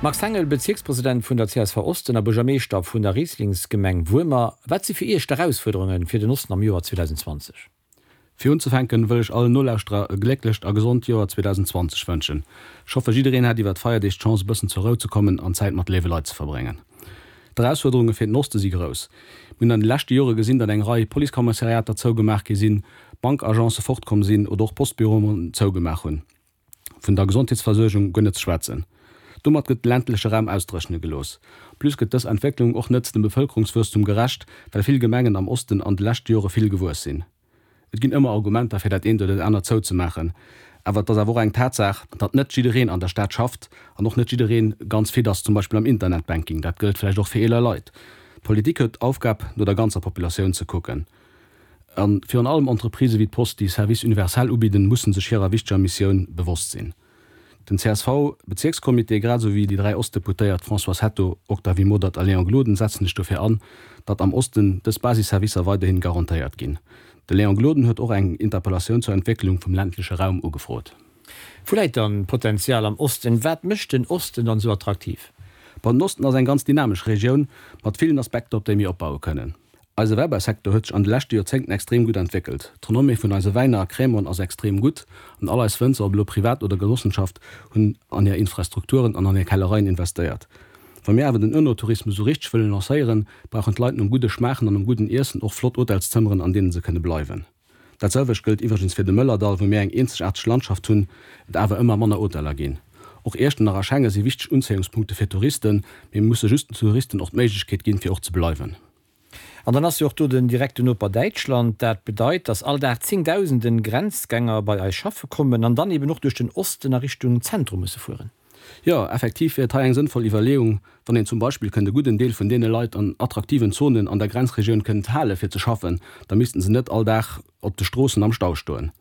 Max Hengel, Bezierkspresident vun der csv Osten a Buergermeeschter vun der Rieslingsgemeng Wuermer, Wat si fir Iech d'Erausfuerderunge fir den Osten am Joer 2020? Fir unzefänken wëll ech allen Nolauschterer e glécklecht a gesond Joer 2020 wënschen. Ech hoffe jiddereen hat iwwert d'Feierdeeg d'Chance e bëssen zur Rou ze kommen an Zäit mat léiwe Leit ze verbréngen. D'Erausfuerderunge fir den Oste si grouss. Mir hunn an de leschte Jore gesinn, datt eng Rei Policekommissariater zougemaach gi sinn, Bankagencë fortkomm sinn oder och Postbüroen zougemaach hunn. Vun der Gesondheetsversuergung guer net ze schwätzen. Domat gëtt de ländleche Raum ausdréchne gelooss. En plus gëtt dës Entwécklung och net dem Bevëlkerungswuesstum gerecht, well vill Gemengen am Osten an de leschte Jore vill gewuess sinn. Et ginn ëmmer Argumenter fir dat eent oder dat anert zouzemaachen, awer et ass awer och eng Tatsaach, datt net jiddereen an der Stad schafft an och net jidderee ganz fit ass, zum Beispill am Internetbanking. Dat gëllt vläicht och fir eeler Leit. D'Politik huet d'Aufgab, no der ganzer Populatioun ze kucken. A virun allem Entreprisë wéi d'Post, déi Service universel ubidden, mussen sech hirer wichteger Missioun bewosst sinn. Den CSV-Bezierkscomité, grad esou wéi déi 3 Ostdeputéiert Françoise Hetto, Octavie Modert a Léon Gloden setzen sech dofir an, datt am Osten dës Basisservicer weiderhin garantéiert ginn. De Léon Gloden huet och eng Interpellatioun zur Entwécklung vum ländleche Raum ugefrot. Wou läit dann d'Potenzial am Osten? Wat mécht den Osten dann esou attraktiv? Bon, den Osten ass eng ganz dynamesch Regioun mat villen Aspekter, op déi mir opbaue kënnen. Eise Wäibausecteur huet sech an de leschte Joerzéngten extrem gutt entwéckelt. D'Renommée vun eise Wäiner a Crèmen ass extrem gutt an all eis Wënzer, ob elo privat oder Genossenschaft, hunn an hir Infrastrukturen an an hir Kellereien investéiert. Wa mir awer den Önotourismus esou richteg wëllen lancéieren, brauchen d'Leit nom gudde Schmaachen an nom gudden Iessen och flott Hotelszëmmeren, an deene se kënne bleiwen. Dat selwecht gëllt iwwregens fir de Mëllerdall, wou mir eng eenzegaarteg Landschaft hunn, et awer ëmmer manner Hoteller ginn. Och Iechternach a Schengen si wichteg Unzéiungspunkte fir Touristen, mee mir musse just den Touristen och d'Méiglechkeet ginn, fir och ze bleiwen. An dann ass jo och do den direkten Noper Däitschland. Dat bedeit, dass all Dag zéngdausenden Grenzgänger bei eis schaffe kommen an dann eben och duerch den Osten a Richtung Zentrum musse fueren. Jo, effektiv wier et hei eng sënnvoll Iwwerleeung, wann een zum Beispill kënnt e gudden Deel vun deene Leit an attraktiven Zonen an der Grenzregioun kënnt hale fir ze schaffen, da missten se net all Dag op de Stroossen am Stau stoen.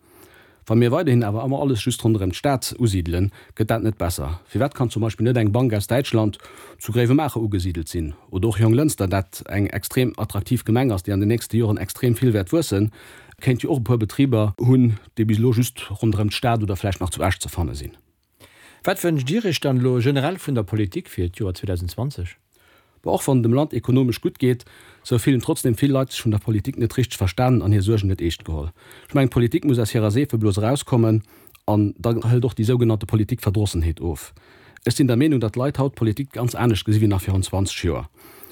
Wa mir weiderhin awer ëmmer alles just ronderëm d'Stad usidelen, gëtt dat net besser. Firwat kann zum Beispill net eng Bank aus Däitschland zu Gréiwemaacher ugesidelt sinn? Oder och Jonglënster, dat eng extrem attraktiv Gemeng ass, déi an den nächste Joren extrem vill wäert wuessen, kéint jo och e puer Betriber hunn, déi bis elo just ronderëm d'Stad oder vläicht nach zu Esch ze fanne sinn. Wat wënscht Dir Iech dann elo generell vun der Politik fir d'Joer 2020? Bon, och wann et dem Land ekonomesch gutt geet, sou fillen trotzdem vill Leit sech vun der Politik net richteg verstanen an hir Suergen net eescht geholl. Ech mengen, d'Politik muss aus hirer Seefeblos erauskommen an da hëlt och déi sougenannte Politikverdrossenheet of. Ech sinn der Meenung, datt d'Leit haut d'Politik ganz anescht gesi wéi nach virun 20 Joer.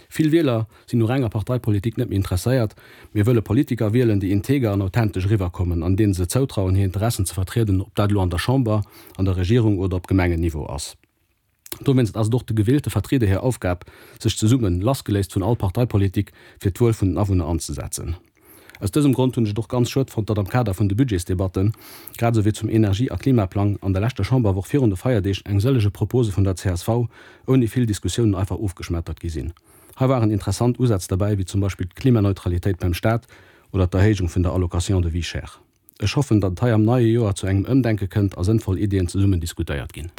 Vill Wieler sinn u renger Parteipolitik net méi interesséiert, mee wëlle Politiker wielen, déi integer an authentesch eriwwerkommen an deene se zoutrauen, hir Interessen ze vertrieden, ob dat elo an der Chamber, an der Regierung oder op Gemengenniveau ass. Dowéinst ass et och de gewielte Vertrieder hir Aufgab, sech zesummen, lassgeléist vun all Parteipolitik, fir d'Wuel vun den Awunner anzesetzen. Aus dësem Grond hunn ech et och ganz schued fonnt, datt am Kader vun de Budgetsdebatten, grad esou wéi zum Energie a Klimaplang an der leschter Chamberwoch virun de Feierdeeg eng sëllege Propose vun der csv ouni vill Diskussiounen einfach ofgeschmettert gi sinn. Hei waren interessant Usätz derbäi, wéi zum Beispill d'Klimaneutralitéit beim Staat oder d'Erhéijung vun der Allocation de vie chère. Ech hoffen, datt et hei am neie Joer zu engem Ëmdenke kënnt a sënnvoll Iddien zesummen diskutéiert ginn.